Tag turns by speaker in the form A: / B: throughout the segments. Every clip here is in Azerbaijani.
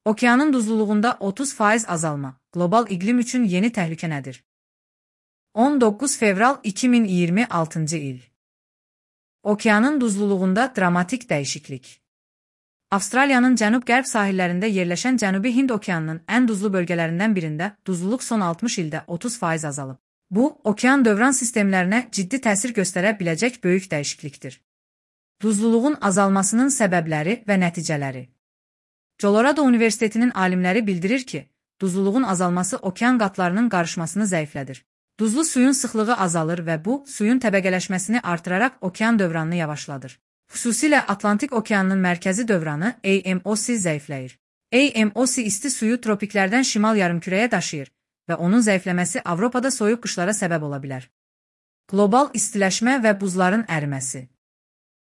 A: Okeanın duzluluğunda 30% azalma. Global iqlim üçün yeni təhlükə nədir? 19 fevral 2026 il. Okeanın duzluluğunda dramatik dəyişiklik. Avstraliyanın cənub-qərb sahillərində yerləşən Cənubi Hind okeanının ən duzlu bölgələrindən birində duzluluq son 60 ildə 30% azalıb. Bu, okean dövran sistemlərinə ciddi təsir göstərə biləcək böyük dəyişiklikdir. Duzluluğun azalmasının səbəbləri və nəticələri. Colorado Universitetinin alimləri bildirir ki, duzluluğun azalması okean qatlarının qarışmasını zəiflədir. Duzlu suyun sıxlığı azalır və bu, suyun təbəqələşməsini artıraraq okean dövranını yavaşladır. Xüsusilə Atlantik okeanının mərkəzi dövranı AMOC zəifləyir. AMOC isti suyu tropiklərdən şimal yarımkürəyə daşıyır və onun zəifləməsi Avropada soyuq qışlara səbəb ola bilər. Qlobal istiləşmə və buzların əriməsi.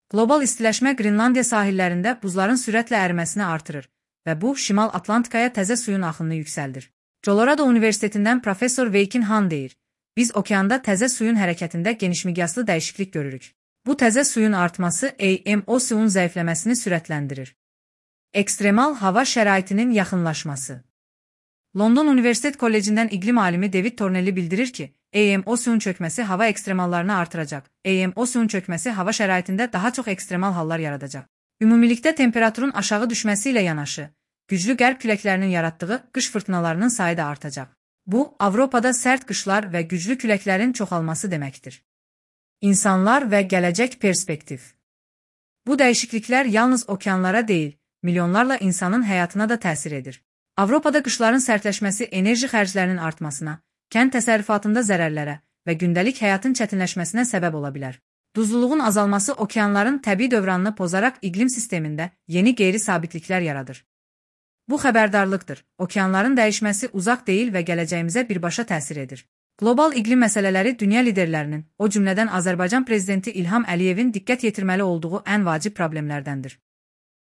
A: Qlobal istiləşmə Qrinlandiya sahillərində buzların sürətlə əriməsini artırır və bu, Şimal Atlantikaya təzə suyun axınını yüksəldir. Colorado Universitetindən professor Weikin Han deyir, biz okeanda təzə suyun hərəkətində genişmiqyaslı dəyişiklik görürük. Bu təzə suyun artması AMOC-un zəifləməsini sürətləndirir. Ekstremal hava şəraitinin yaxınlaşması. London Universitet Kollecindən iqlim alimi David Tornelli bildirir ki, AMOC-un çökməsi hava ekstremallarını artıracaq. AMOC-un çökməsi hava şəraitində daha çox ekstremal hallar yaradacaq. Ümumilikdə temperaturun aşağı düşməsi ilə yanaşı, güclü qərb küləklərinin yaratdığı qış fırtınalarının sayı da artacaq. Bu, Avropada sərt qışlar və güclü küləklərin çoxalması deməkdir. İnsanlar və gələcək perspektiv. Bu dəyişikliklər yalnız okeanlara deyil, milyonlarla insanın həyatına da təsir edir. Avropada qışların sərtləşməsi enerji xərclərinin artmasına, kənd təsərrüfatında zərərlərə və gündəlik həyatın çətinləşməsinə səbəb ola bilər. Duzluluğun azalması okeanların təbii dövranını pozaraq iqlim sistemində yeni qeyri-sabitliklər yaradır. Bu xəbərdarlıqdır. Okeanların dəyişməsi uzaq deyil və gələcəyimizə birbaşa təsir edir. Qlobal iqlim məsələləri dünya liderlərinin, o cümlədən Azərbaycan prezidenti İlham Əliyevin diqqət yetirməli olduğu ən vacib problemlərdəndir.